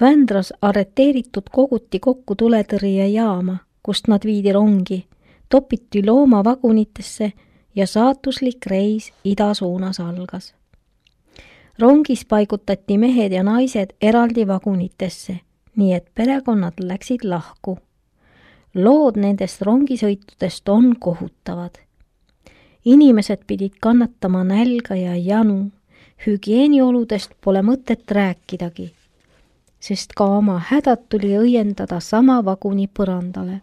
Vändras arreteeritud koguti kokku tuletõrjejaama, kust nad viidi rongi, topiti loomavagunitesse ja saatuslik reis ida suunas algas. Rongis paigutati mehed ja naised eraldi vagunitesse, nii et perekonnad läksid lahku. Lood nendest rongisõitudest on kohutavad. Inimesed pidid kannatama nälga ja janu, hügieenioludest pole mõtet rääkidagi, sest ka oma hädad tuli õiendada sama vaguni põrandale.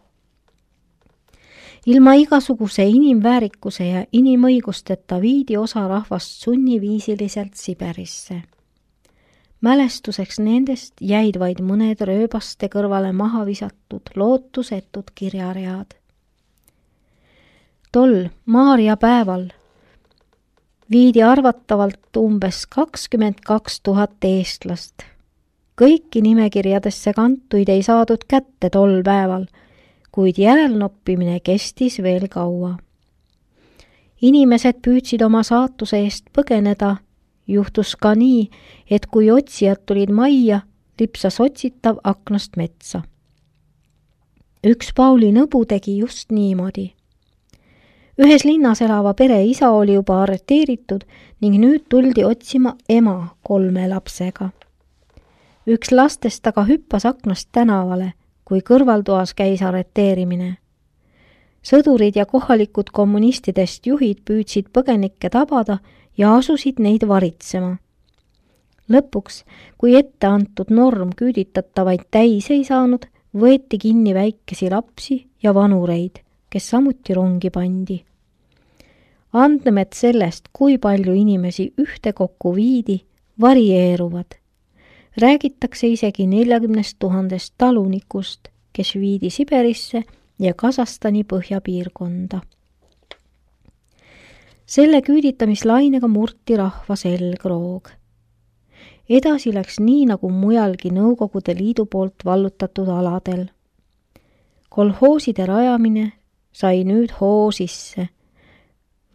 Ilma igasuguse inimväärikuse ja inimõigusteta viidi osa rahvast sunniviisiliselt Siberisse. Mälestuseks nendest jäid vaid mõned rööbaste kõrvale maha visatud lootusetud kirjaread. Tol Maarja päeval viidi arvatavalt umbes 22 000 eestlast. Kõiki nimekirjadesse kantuid ei saadud kätte tol päeval, kuid järelnoppimine kestis veel kaua. Inimesed püüdsid oma saatuse eest põgeneda. Juhtus ka nii, et kui otsijad tulid majja, lipsas otsitav aknast metsa. Üks Pauli nõbu tegi just niimoodi. Ühes linnas elava pere isa oli juba arreteeritud ning nüüd tuldi otsima ema 3 lapsega. Üks lastest aga hüppas aknast tänavale, kui kõrvaltoas käis arreteerimine. Sõdurid ja kohalikud kommunistidest juhid püüdsid põgenikke tabada ja asusid neid varitsema. Lõpuks, kui ette antud norm küüditatavaid täis ei saanud, võeti kinni väikesi lapsi ja vanureid, kes samuti rongi pandi. Andmed sellest, kui palju inimesi ühtekokku viidi, varieeruvad. Räägitakse isegi 40 000 talunikust, kes viidi Siberisse ja Kasahstani põhjapiirkonda. Selle küüditamislainega murti rahva selgroog. Edasi läks nii nagu mujalgi Nõukogude Liidu poolt vallutatud aladel. Kolhooside rajamine sai nüüd hoo sisse.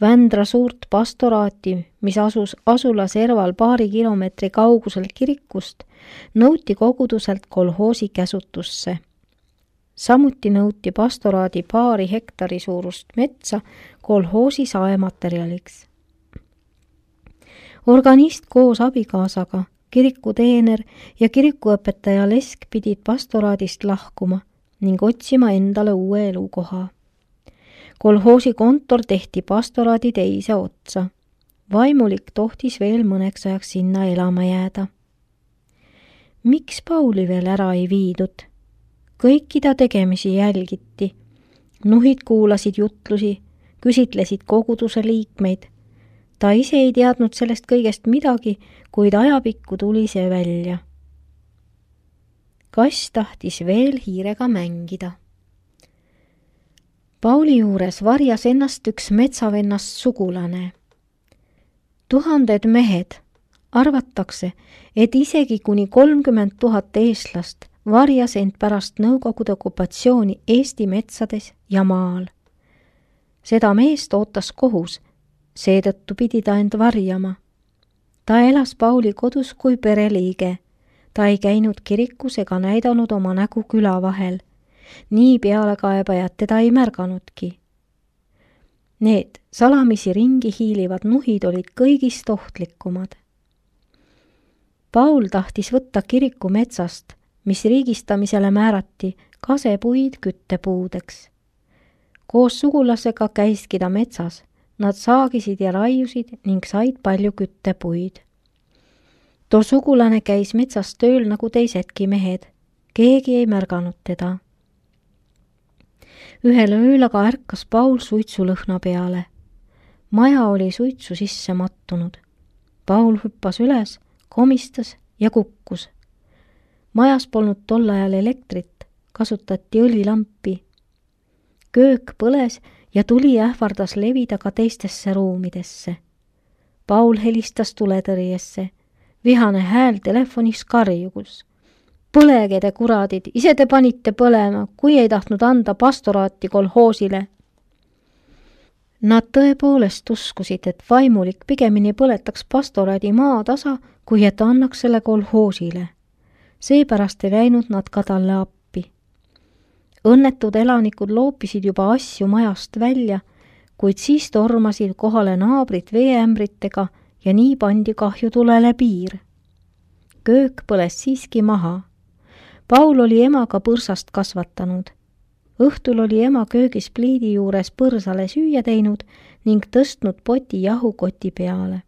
Vändra suurt pastoraati, mis asus asula serval paari kilomeetri kaugusel kirikust, nõuti koguduselt kolhoosi käsutusse. Samuti nõuti pastoraadi paari hektari suurust metsa kolhoosi saematerjaliks. Organist koos abikaasaga, kirikuteener ja kirikuõpetaja Lesk pidid pastoraadist lahkuma ning otsima endale uue elukoha. Kolhoosi kontor tehti pastoraadi teise otsa. Vaimulik tohtis veel mõneks ajaks sinna elama jääda. Miks Pauli veel ära ei viidud? Kõiki ta tegemisi jälgiti. Nuhid kuulasid jutlusi, küsitlesid koguduse liikmeid. Ta ise ei teadnud sellest kõigest midagi, kuid ajapikku tuli see välja. Kass tahtis veel hiirega mängida. Pauli juures varjas ennast üks metsavennast sugulane. 1000 mehed, arvatakse, et isegi kuni 30 000 eestlast varjas end pärast Nõukogude okupatsiooni Eesti metsades ja maal. Seda meest ootas kohus, seetõttu pidi ta end varjama. Ta elas Pauli kodus kui pereliige. Ta ei käinud kirikus ega näidanud oma nägu küla vahel. Nii pealekaebajad teda ei märganudki. Need salamisi ringi hiilivad nuhid olid kõigist ohtlikumad. Paul tahtis võtta kiriku metsast, mis riigistamisele määrati, kasepuid küttepuudeks. Koos sugulasega käiski ta metsas. Nad saagisid ja raiusid ning said palju küttepuid. Too sugulane käis metsas tööl nagu teisedki mehed. Keegi ei märganud teda. Ühel ööl aga ärkas Paul suitsulõhna peale. Maja oli suitsu sisse mattunud. Paul hüppas üles, komistas ja kukkus. Majas polnud tol ajal elektrit, kasutati õlilampi. Köök põles ja tuli ähvardas levida ka teistesse ruumidesse. Paul helistas tuletõrjesse. Vihane hääl telefonis karjugus. Põlege te kuradid, ise te panite põlema, kui ei tahtnud anda pastoraati kolhoosile. Nad tõepoolest uskusid, et vaimulik pigemini põletaks pastoraadi maa tasa, kui et annaks selle kolhoosile. seepärast ei läinud nad ka talle appi. Õnnetud elanikud loopisid juba asju majast välja, kuid siis tormasid kohale naabrid veeämbritega ja nii pandi kahjutulele piir. Köök põles siiski maha. Paul oli emaga põrsast kasvatanud. Õhtul oli ema köögis pliidi juures põrsale süüa teinud ning tõstnud poti jahukoti peale.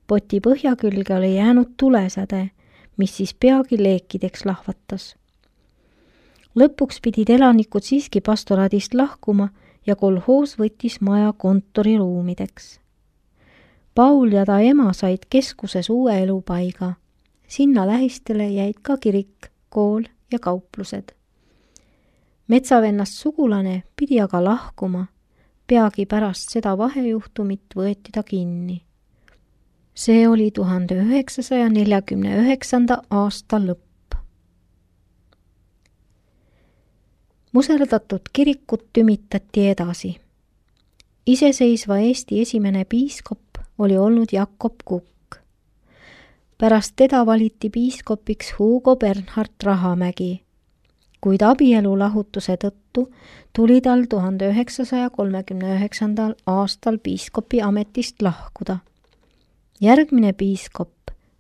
Poti põhja külge oli jäänud tulesäde, mis siis peagi leekideks lahvatas. Lõpuks pidid elanikud siiski pastoraadist lahkuma ja kolhoos võttis maja kontoriruumideks. Paul ja ta ema said keskuses uue elupaiga. Sinna lähistele jäid ka kirik, kool ja kauplused. Metsavennast sugulane pidi aga lahkuma. Peagi pärast seda vahejuhtumit võeti ta kinni. See oli 1949. aasta lõpp. Muserdatud kirikut tümitati edasi. Iseseisva Eesti esimene piiskop oli olnud Jakob Kukk. Pärast teda valiti piiskopiks Hugo Bernhard Rahamägi, kuid abielulahutuse tõttu tuli tal 1939. aastal piiskopi ametist lahkuda. Järgmine piiskop,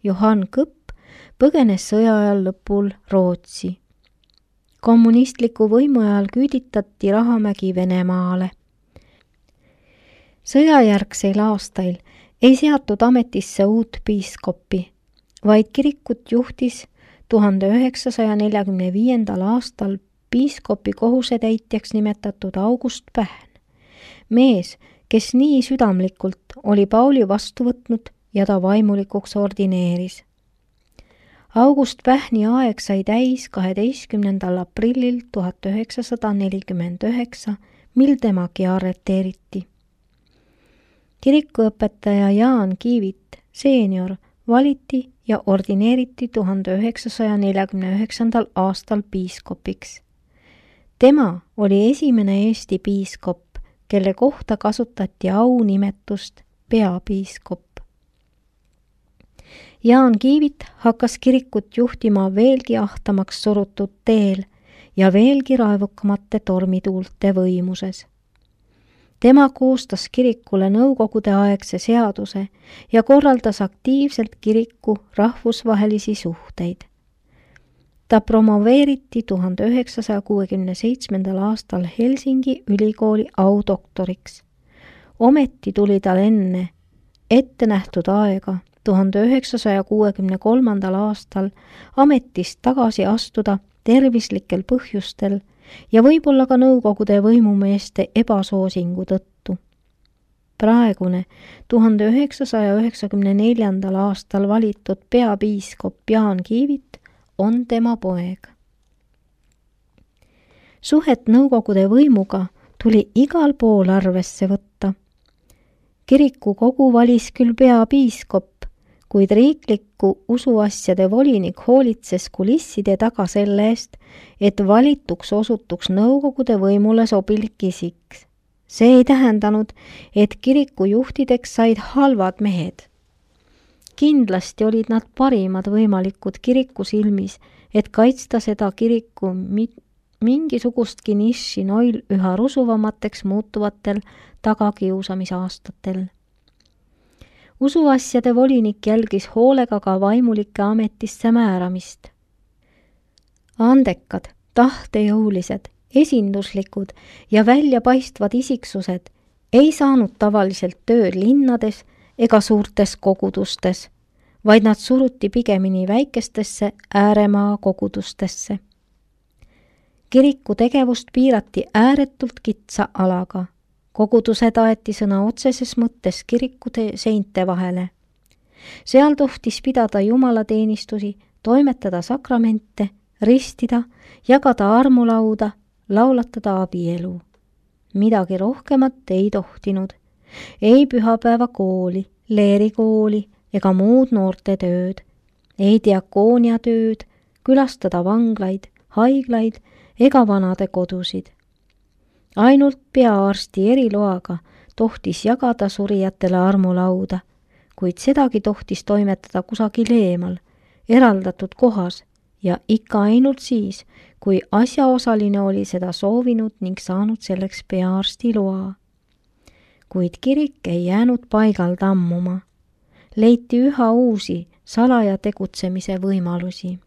Johann Kõpp, põgenes sõja ajal lõpul Rootsi. Kommunistliku võimu ajal küüditati Rahamägi Venemaale. Sõjajärgseil aastail ei seatud ametisse uut piiskopi, vaid kirikut juhtis 1945. aastal piiskopi kohusetäitjaks nimetatud August Pähn, mees, kes nii südamlikult oli Pauli vastu võtnud ja ta vaimulikuks ordineeris. August Pähni aeg sai täis 12. aprillil 1949, mil temagi arreteeriti. Kirikuõpetaja Jaan Kiivit, seenior, valiti ja ordineeriti 1949. aastal piiskopiks. Tema oli esimene Eesti piiskop, kelle kohta kasutati aunimetust peapiiskop. Jaan Kiivit hakkas kirikut juhtima veelgi ahtamaks surutud teel ja veelgi raevukamate tormituulte võimuses. Tema koostas kirikule nõukogude aegse seaduse ja korraldas aktiivselt kiriku rahvusvahelisi suhteid. Ta promoveeriti 1967. aastal Helsingi ülikooli audoktoriks. Ometi tuli tal enne ettenähtud aega 1963. aastal ametist tagasi astuda tervislikel põhjustel ja võib-olla ka nõukogude võimumeeste ebasoosingu tõttu. Praegune 1994. aastal valitud peapiiskop Jaan Kiivit on tema poeg. Suhet nõukogude võimuga tuli igal pool arvesse võtta. Kirikukogu valis küll peapiiskop, kuid riikliku usuasjade volinik hoolitses kulisside taga selle eest, et valituks osutuks nõukogude võimule sobilik isik. See ei tähendanud, et kiriku juhtideks said halvad mehed. Kindlasti olid nad parimad võimalikud kiriku silmis, et kaitsta seda kiriku mingisugustki niši noil üha rusuvamateks muutuvatel tagakiusamisaastatel. Usuasjade volinik jälgis hoolega ka vaimulike ametisse määramist. Andekad, tahtejõulised, esinduslikud ja väljapaistvad isiksused ei saanud tavaliselt tööd linnades ega suurtes kogudustes, vaid nad suruti pigemini väikestesse ääremaa kogudustesse. Kiriku tegevust piirati ääretult kitsa alaga. Kogudused aeti sõna otseses mõttes kirikute seinte vahele. Seal tohtis pidada jumalateenistusi, toimetada sakramente, ristida, jagada armulauda, laulatada abielu. Midagi rohkemat ei tohtinud. Ei pühapäevakooli, leerikooli ega muud noortetööd, ei diakooniatööd, külastada vanglaid, haiglaid ega vanade kodusid. Ainult peaarsti eriloaga tohtis jagada surijatele armulauda, kuid sedagi tohtis toimetada kusagil eemal, eraldatud kohas ja ikka ainult siis, kui asjaosaline oli seda soovinud ning saanud selleks peaarsti loa. Kuid kirik ei jäänud paigal tammuma. Leiti üha uusi salaja tegutsemise võimalusi.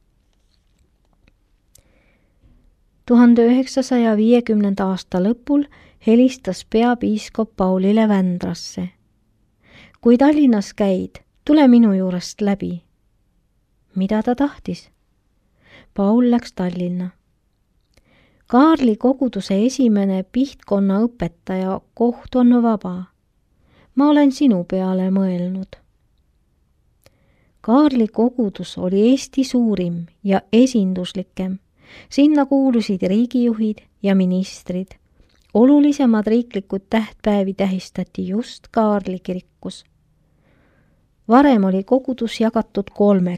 1950. aasta lõpul helistas peapiiskop Paulile Vändrasse. Kui Tallinnas käid, tule minu juurest läbi. Mida ta tahtis? Paul läks Tallinna. Kaarli koguduse esimene Pihtkonna õpetaja koht on vaba. Ma olen sinu peale mõelnud. Kaarli kogudus oli Eesti suurim ja esinduslikem. Sinna kuulusid riigijuhid ja ministrid. Olulisemad riiklikud tähtpäevi tähistati just Kaarli kirikus. Varem oli kogudus jagatud 3,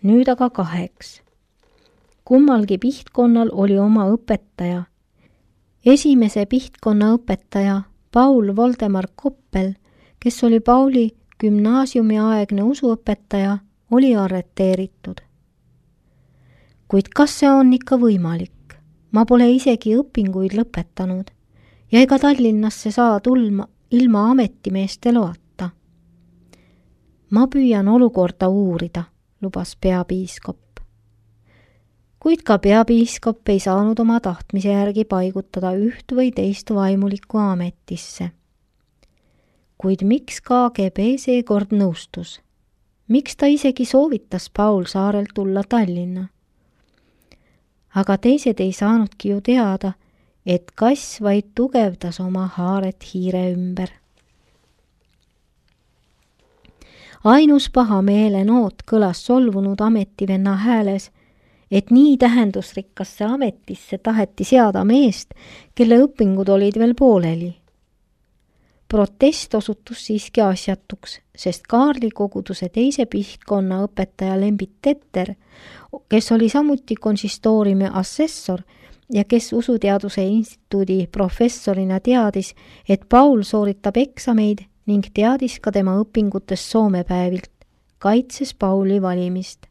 nüüd aga 2. Kummalgi Pihtkonnal oli oma õpetaja. Esimese Pihtkonna õpetaja Paul Voldemar Koppel, kes oli Pauli gümnaasiumiaegne usuõpetaja, oli arreteeritud. Kuid kas see on ikka võimalik? Ma pole isegi õpinguid lõpetanud ja ega Tallinnasse saa tulma ilma ametimeeste loata. Ma püüan olukorda uurida, lubas peapiiskop. Kuid ka peapiiskop ei saanud oma tahtmise järgi paigutada üht või teist vaimulikku ametisse. Kuid miks KGB seekord nõustus? Miks ta isegi soovitas Paul Saarel tulla Tallinna? Aga teised ei saanudki ju teada, et kass vaid tugevdas oma haaret hiire ümber. Ainus pahameele noot kõlas solvunud ametivenna hääles, et nii tähendusrikkasse ametisse taheti seada meest, kelle õpingud olid veel pooleli. Protest osutus siiski asjatuks, sest Kaarli koguduse teise Pihtkonna õpetaja Lembit Tetter, kes oli samuti konsistooriumi assessor ja kes Usuteaduse instituudi professorina teadis, et Paul sooritab eksameid ning teadis ka tema õpingutest soomepäevilt, kaitses Pauli valimist.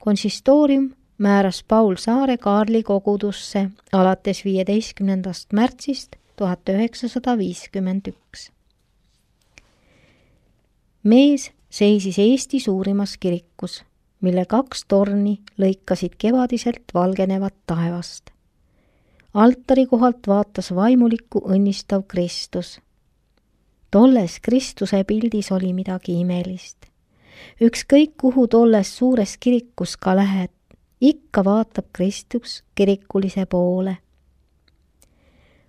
Konsistoorium määras Paul Saare Kaarli kogudusse alates 15. märtsist 1951. Mees seisis Eesti suurimas kirikus, mille 2 torni lõikasid kevadiselt valgenevat taevast. Altari kohalt vaatas vaimulikku õnnistav Kristus. Tolles Kristuse pildis oli midagi imelist. Ükskõik kuhu tolles suures kirikus ka lähed, ikka vaatab Kristus kirikulise poole.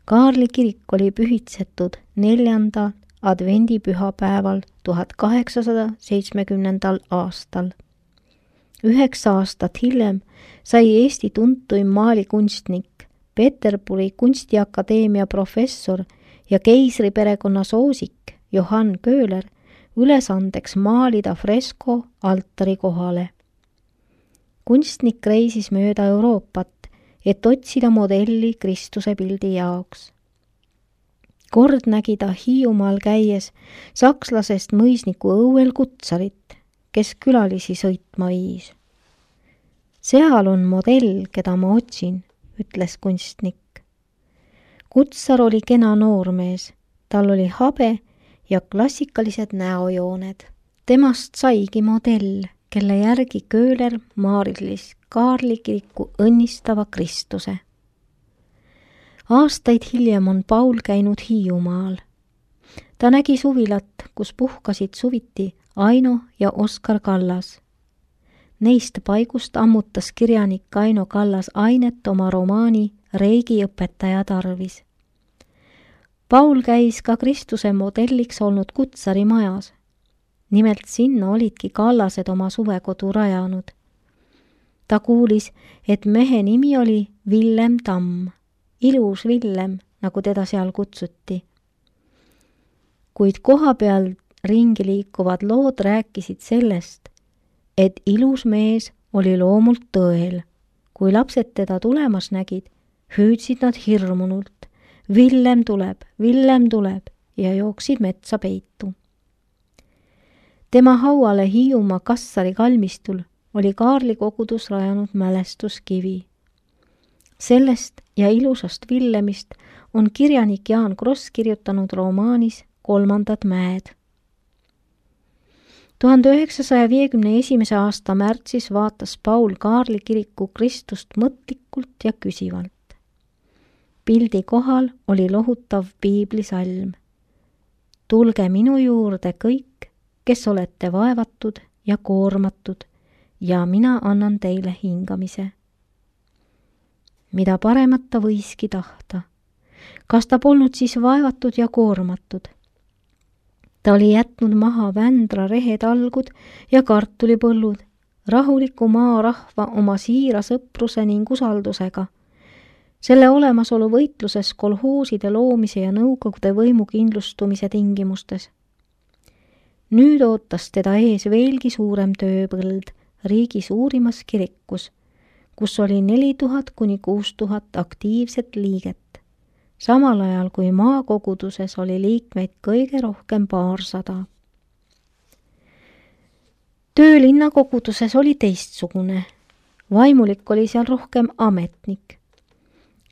Kaarli kirik oli pühitsetud 4. advendipühapäeval 1870. aastal. 9 aastat hiljem sai Eesti tuntuim maalikunstnik, Peterburi kunstiakadeemia professor ja keisriperekonna soosik Johann Köhler ülesandeks maalida fresko altari kohale. Kunstnik reisis mööda Euroopat, et otsida modelli Kristuse pildi jaoks. Kord nägi ta Hiiumaal käies sakslasest mõisniku õuel kutsarit, kes külalisi sõitma viis. Seal on modell, keda ma otsin, ütles kunstnik. Kutsar oli kena noormees, tal oli habe ja klassikalised näojooned. Temast saigi modell, kelle järgi Köhler maarilis Kaarli kiriku õnnistava Kristuse. Aastaid hiljem on Paul käinud Hiiumaal. Ta nägi suvilat, kus puhkasid suviti Aino ja Oskar Kallas. Neist paigust ammutas kirjanik Aino Kallas ainet oma romaani Reigiõpetaja tarvis. Paul käis ka Kristuse modelliks olnud kutsari majas. Nimelt sinna olidki Kallased oma suvekodu rajanud. Ta kuulis, et mehe nimi oli Villem Tamm, ilus Villem, nagu teda seal kutsuti. Kuid koha peal ringi liikuvad lood rääkisid sellest, et ilus mees oli loomult tõel. Kui lapsed teda tulemas nägid, hüüdsid nad hirmunult. Villem tuleb ja jooksid metsa peitu. Tema hauale Hiiumaa Kassari kalmistul oli Kaarli kogudus rajanud mälestuskivi. Sellest ja ilusast Villemist on kirjanik Jaan Kross kirjutanud romaanis Kolmandad mäed. 1951. aasta märtsis vaatas Paul Kaarli kiriku Kristust mõtlikult ja küsivalt. Pildi kohal oli lohutav piiblisalm. Tulge minu juurde kõik, kes olete vaevatud ja koormatud, ja mina annan teile hingamise. Mida paremat ta võiski tahta. Kas ta polnud siis vaevatud ja koormatud? Ta oli jätnud maha Vändra rehetalgud ja kartulipõllud, rahuliku maarahva oma siira sõpruse ning usaldusega. Selle olemasolu võitluses kolhooside loomise ja nõukogude võimu kindlustumise tingimustes. Nüüd ootas teda ees veelgi suurem tööpõld riigi suurimas kirikus, kus oli 4000 kuni 6000 aktiivset liiget, samal ajal kui maakoguduses oli liikmeid kõige rohkem 200. Töö linnakoguduses oli teistsugune. Vaimulik oli seal rohkem ametnik.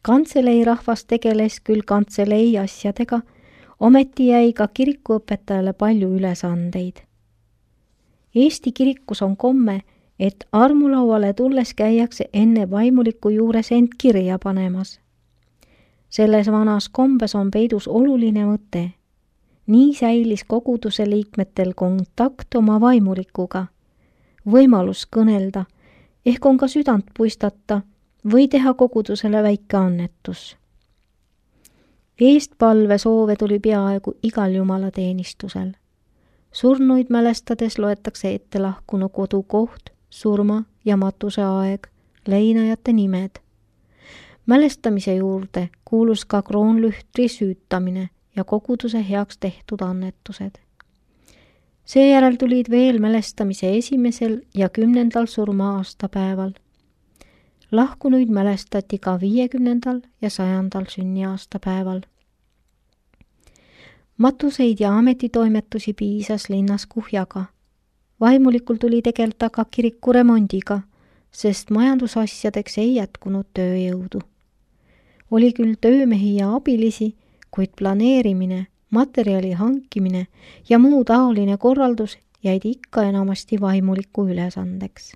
Kantselei rahvas tegeles küll kantselei asjadega, ometi jäi ka kirikuõpetajale palju ülesandeid. Eesti kirikus on komme, et armulauale tulles käiakse enne vaimuliku juures end kirja panemas. Selles vanas kombes on peidus oluline mõte. Nii säilis koguduse liikmetel kontakt oma vaimulikuga, võimalus kõnelda, ehk on ka südant puistata või teha kogudusele väike annetus. Eestpalve soove tuli peaaegu igal jumalateenistusel. Surnuid mälestades loetakse ette lahkunu kodukoht, surma ja matuse aeg, leinajate nimed. Mälestamise juurde kuulus ka kroonlühtri süütamine ja koguduse heaks tehtud annetused. Seejärel tulid veel mälestamise 1. ja 10. surma-aastapäeval. Lahkunuid mälestati ka 50. ja 100. sünniaastapäeval. Matuseid ja ametitoimetusi piisas linnas kuhjaga. Vaimulikul tuli tegelda ka kiriku remondiga, sest majandusasjadeks ei jätkunud tööjõudu. Oli küll töömehi ja abilisi, kuid planeerimine, materjali hankimine ja muu taoline korraldus jäid ikka enamasti vaimuliku ülesandeks.